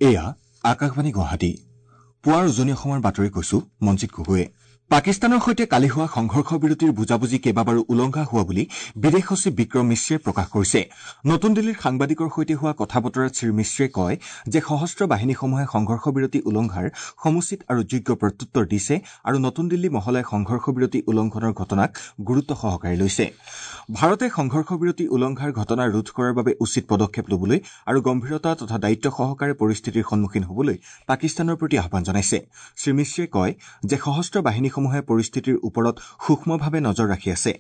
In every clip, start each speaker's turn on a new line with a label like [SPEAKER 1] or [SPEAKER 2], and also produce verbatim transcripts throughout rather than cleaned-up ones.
[SPEAKER 1] এয়া আকাশবাণী গুৱাহাটী। পুৱাৰ উজনি অসমৰ বাতৰি কৈছো মঞ্জিত গগৈয়ে। পাকিস্তানৰ সৈতে কালি হোৱা সংঘৰ্ষ বিৰতিৰ বুজাবুজি কেইবাবাৰো উলংঘা হোৱা বুলি বিদেশ সচিব বিক্ৰম মিশ্ৰীয়ে প্ৰকাশ কৰিছে। নতুন দিল্লীৰ সাংবাদিকৰ সৈতে হোৱা কথা বতৰাত শ্ৰীমিশ্ৰীয়ে কয় যে সশস্ত্ৰ বাহিনীসমূহে সংঘৰ্ষ বিৰতি উলংঘাৰ সমুচিত আৰু যোগ্য প্ৰত্যুত্তৰ দিছে আৰু নতুন দিল্লী মহলাই সংঘৰ্ষ বিৰতি উলংঘনৰ ঘটনাক গুৰুত্ব সহকাৰে লৈছে। ভাৰতে সংঘৰ্ষ বিৰতি উলংঘাৰ ঘটনা ৰোধ কৰাৰ বাবে উচিত পদক্ষেপ ল'বলৈ আৰু গম্ভীৰতা তথা দায়িত্ব সহকাৰে পৰিস্থিতিৰ সন্মুখীন হ'বলৈ পাকিস্তানৰ প্ৰতি আহ্বান জনাইছে। শ্ৰীমিশ্ৰীয়ে কয় যে সশস্ত্ৰ বাহিনী সমূহে পৰিস্থিতিৰ ওপৰত সূক্ষ্মভাৱে নজৰ ৰাখি আছে।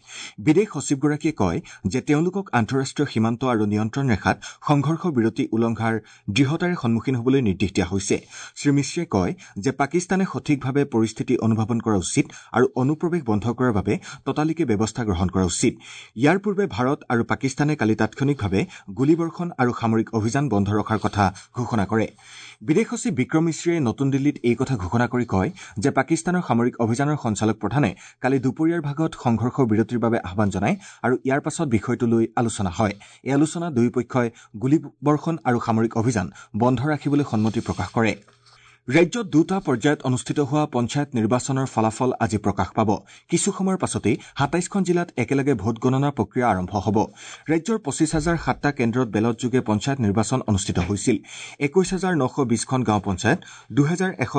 [SPEAKER 1] বিদেশ সচিবগৰাকীয়ে কয় যে তেওঁলোকক আন্তঃৰাষ্ট্ৰীয় সীমান্ত আৰু নিয়ন্ত্ৰণ ৰেখাত সংঘৰ্ষ বিৰতি উলংঘাৰ দৃঢ়তাৰে সন্মুখীন হ'বলৈ নিৰ্দেশ দিয়া হৈছে। শ্ৰীমিশ্ৰীয়ে কয় যে পাকিস্তানে সঠিকভাৱে পৰিস্থিতি অনুধাৱন কৰা উচিত আৰু অনুপ্ৰৱেশ বন্ধ কৰাৰ বাবে ততালিকে ব্যৱস্থা গ্ৰহণ কৰা উচিত। ইয়াৰ পূৰ্বে ভাৰত আৰু পাকিস্তানে কালি তাৎক্ষণিকভাৱে গুলীবৰ্ষণ আৰু সামৰিক অভিযান বন্ধ ৰখাৰ কথা ঘোষণা কৰে। বিদেশ সচিব বিক্ৰম মিশ্ৰীয়ে নতুন দিল্লীত এই কথা ঘোষণা কৰি কয় যে পাকিস্তানৰ সামৰিক অভিযানৰ সঞ্চালক প্ৰধানে কালি দুপৰীয়াৰ ভাগত সংঘৰ্ষ বিৰতিৰ বাবে আহ্বান জনায় আৰু ইয়াৰ পাছত বিষয়টো লৈ আলোচনা হয়। এই আলোচনা দুয়োপক্ষই গুলীবৰ্ষণ আৰু সামৰিক অভিযান বন্ধ ৰাখিবলৈ সন্মতি প্ৰকাশ কৰে। ৰাজ্যত দুটা পৰ্যায়ত অনুষ্ঠিত হোৱা পঞ্চায়ত নিৰ্বাচনৰ ফলাফল আজি প্ৰকাশ পাব। কিছু সময়ৰ পাছতেই সাতাইছখন জিলাত একেলগে ভোটগণনা প্ৰক্ৰিয়া আৰম্ভ হ'ব। ৰাজ্যৰ পঁচিছ হাজাৰ সাতটা কেন্দ্ৰত বেলটযোগে পঞ্চায়ত নিৰ্বাচন অনুষ্ঠিত হৈছিল। একৈশ হাজাৰ নশ বিশখন গাঁও পঞ্চায়ত, দুহেজাৰ এশ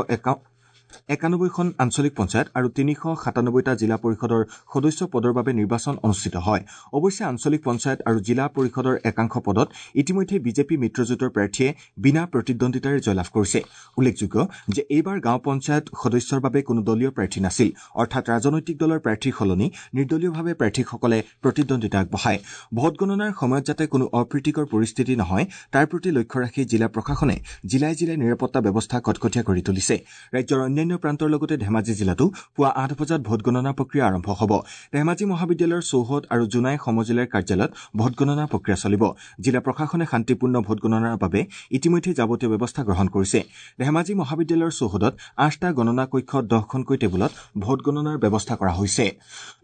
[SPEAKER 1] একানব্বৈখন আঞ্চলিক পঞ্চায়ত আৰু তিনিশ সাতানব্বৈটা জিলা পৰিষদৰ সদস্য পদৰ বাবে নিৰ্বাচন অনুষ্ঠিত হয়। অৱশ্যে আঞ্চলিক পঞ্চায়ত আৰু জিলা পৰিষদৰ একাংশ পদত ইতিমধ্যে বিজেপি মিত্ৰজোঁটৰ প্ৰাৰ্থীয়ে বিনা প্ৰতিদ্বন্দ্বিতাৰে জয়লাভ কৰিছে। উল্লেখযোগ্য যে এইবাৰ গাঁও পঞ্চায়ত সদস্যৰ বাবে কোনো দলীয় প্ৰাৰ্থী নাছিল, অৰ্থাৎ ৰাজনৈতিক দলৰ প্ৰাৰ্থীৰ সলনি নিৰ্দলীয়ভাৱে প্ৰাৰ্থীসকলে প্ৰতিদ্বন্দ্বিতা আগবঢ়ায়। ভোটগণনাৰ সময়ত যাতে কোনো অপ্ৰীতিকৰ পৰিস্থিতি নহয় তাৰ প্ৰতি লক্ষ্য ৰাখি জিলা প্ৰশাসনে জিলাই জিলাই নিৰাপত্তা ব্যৱস্থা কটকটীয়া কৰি তুলিছে। ৰাজ্যৰ অন্যান্য প্ৰান্তৰ লগতে ধেমাজি জিলাতো পুৱা আঠ বজাত ভোটগণনা প্ৰক্ৰিয়া আৰম্ভ হ'ব। ধেমাজি মহাবিদ্যালয়ৰ চৌহদ আৰু জোনাই সমজিলাৰ কাৰ্যালয়ত ভোটগণনা প্ৰক্ৰিয়া চলিব। জিলা প্ৰশাসনে শান্তিপূৰ্ণ ভোটগণনাৰ বাবে ইতিমধ্যে যাৱতীয় ব্যৱস্থা গ্ৰহণ কৰিছে। ধেমাজি মহাবিদ্যালয়ৰ চৌহদত আঠটা গণনা কক্ষত দহখনকৈ টেবুলত ভোটগণনাৰ ব্যৱস্থা কৰা হৈছে।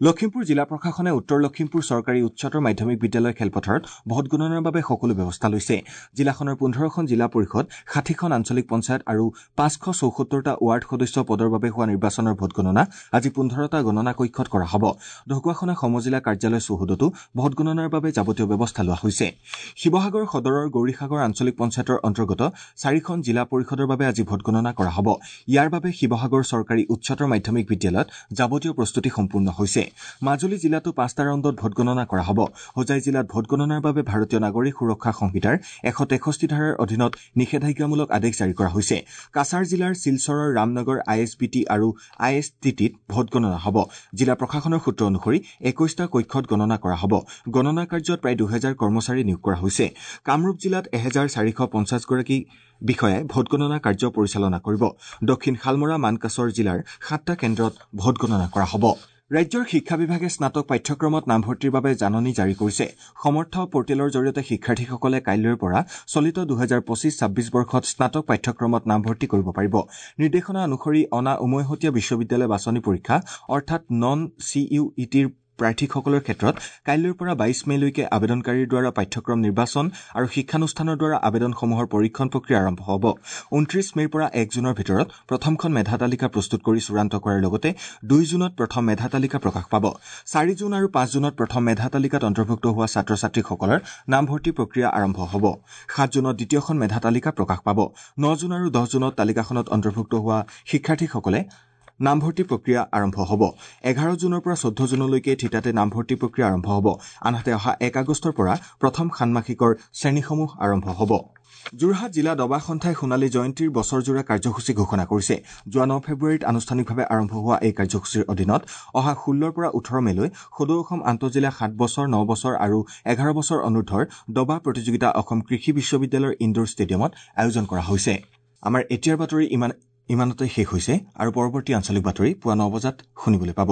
[SPEAKER 1] লখিমপুৰ জিলা প্ৰশাসনে উত্তৰ লখিমপুৰ চৰকাৰী উচ্চতৰ মাধ্যমিক বিদ্যালয় খেলপথাৰত ভোটগণনাৰ বাবে সকলো ব্যৱস্থা লৈছে। জিলাখনৰ পোন্ধৰখন জিলা পৰিষদ, ষাঠিখন আঞ্চলিক পঞ্চায়ত আৰু পাঁচশ চৌসত্তৰটা ৱাৰ্ড সদস্য পদৰ বাবে হোৱা নিৰ্বাচনৰ ভোটগণনা আজি পোন্ধৰটা গণনা কক্ষত কৰা হ'ব। ঢকুৱাখনা সমজিলা কাৰ্যালয় চৌহদতো ভোটগণনাৰ বাবে যাৱতীয় ব্যৱস্থা লোৱা হৈছে। শিৱসাগৰ সদৰৰ গৌৰীসাগৰ আঞ্চলিক পঞ্চায়তৰ অন্তৰ্গত চাৰিখন জিলা পৰিষদৰ বাবে আজি ভোটগণনা কৰা হ'ব। ইয়াৰ বাবে শিৱসাগৰ চৰকাৰী উচ্চতৰ মাধ্যমিক বিদ্যালয়ত যাৱতীয় প্ৰস্তুতি সম্পূৰ্ণ হৈছে। মাজুলী জিলাতো পাঁচটা ৰাউণ্ডত ভোটগণনা কৰা হ'ব। হোজাই জিলাত ভোটগণনাৰ বাবে ভাৰতীয় নাগৰিক সুৰক্ষা সংহিতাৰ এশ তেষষ্ঠি ধাৰাৰ অধীনত নিষেধাজ্ঞামূলক আদেশ জাৰি কৰা হৈছে। কাছাৰ জিলাৰ শিলচৰৰ Ramnagar I S B T আৰু I S T টিত ভোটগণনা হ'ব। জিলা প্ৰশাসনৰ সূত্ৰ অনুসৰি একৈশটা কক্ষত গণনা কৰা হ'ব। গণনা কাৰ্যত প্ৰায় দুহেজাৰ কৰ্মচাৰী নিয়োগ কৰা হৈছে। কামৰূপ জিলাত এহেজাৰ চাৰিশ পঞ্চাছগৰাকী বিষয়াই ভোটগণনা কাৰ্য পৰিচালনা কৰিব। দক্ষিণ শালমৰা মানকাছৰ জিলাৰ সাতটা কেন্দ্ৰত ভোটগণনা কৰা হ'ব। ৰাজ্যৰ শিক্ষা বিভাগে স্নাতক পাঠ্যক্ৰমত নামভৰ্তিৰ বাবে জাননী জাৰি কৰিছে। সমৰ্থ পৰ্টেলৰ জৰিয়তে শিক্ষাৰ্থীসকলে কাইলৈৰ পৰা চলিত দুহেজাৰ পঁচিছ ছাব্বিছ বৰ্ষত স্নাতক পাঠ্যক্ৰমত নামভৰ্তি কৰিব পাৰিব। নিৰ্দেশনা অনুসৰি অনা উমৈহতীয়া বিশ্ববিদ্যালয় বাছনি পৰীক্ষা অৰ্থাৎ নন চি ইউ ই টিৰ প্ৰাৰ্থীসকলৰ ক্ষেত্ৰত কাইলৈৰ পৰা বাইছ মে'লৈকে আবেদনকাৰীৰ দ্বাৰা পাঠ্যক্ৰম নিৰ্বাচন আৰু শিক্ষানুষ্ঠানৰ দ্বাৰা আবেদনসমূহৰ পৰীক্ষণ প্ৰক্ৰিয়া আৰম্ভ হ'ব। ঊনত্ৰিশ মে'ৰ পৰা এক জুনৰ ভিতৰত প্ৰথমখন মেধা তালিকা প্ৰস্তুত কৰি চূড়ান্ত কৰাৰ লগতে দুই জুনত প্ৰথম মেধা তালিকা প্ৰকাশ পাব। চাৰি জুন আৰু পাঁচ জুনত প্ৰথম মেধা তালিকাত অন্তৰ্ভুক্ত হোৱা ছাত্ৰ ছাত্ৰীসকলৰ নামভৰ্তি প্ৰক্ৰিয়া আৰম্ভ হ'ব। সাত জুনত দ্বিতীয়খন মেধা তালিকা প্ৰকাশ পাব। ন জুন আৰু দহ জুনত তালিকাখনত অন্তৰ্ভুক্ত হোৱা শিক্ষাৰ্থীসকলে নামভৰ্তি প্ৰক্ৰিয়া আৰম্ভ হ'ব। এঘাৰ জুনৰ পৰা চৈধ্য জুনলৈকে থিতাতে নামভৰ্তি প্ৰক্ৰিয়া আৰম্ভ হ'ব। আনহাতে অহা এক আগষ্টৰ পৰা প্ৰথম ষাণ্মাসিকৰ শ্ৰেণীসমূহ আৰম্ভ হ'ব। যোৰহাট জিলা দবা সন্থাই সোণালী জয়ন্তীৰ বছৰজোৰা কাৰ্যসূচী ঘোষণা কৰিছে। যোৱা ন ফেব্ৰুৱাৰীত আনুষ্ঠানিকভাৱে আৰম্ভ হোৱা এই কাৰ্যসূচীৰ অধীনত অহা ষোল্লৰ পৰা ওঠৰ মে'লৈ সদৌ অসম আন্তঃজিলা সাত বছৰ, ন বছৰ আৰু এঘাৰ বছৰ অনুৰ্ধৰ দবা প্ৰতিযোগিতা অসম কৃষি বিশ্ববিদ্যালয়ৰ ইণ্ডোৰ ষ্টেডিয়ামত আয়োজন কৰা হৈছে। আমাৰ এতিয়াৰ বাতৰি ইমান ইমানতে শেষ হৈছে আৰু পৰৱৰ্তী আঞ্চলিক বাতৰি পুৱা ন বজাত শুনিবলৈ পাব।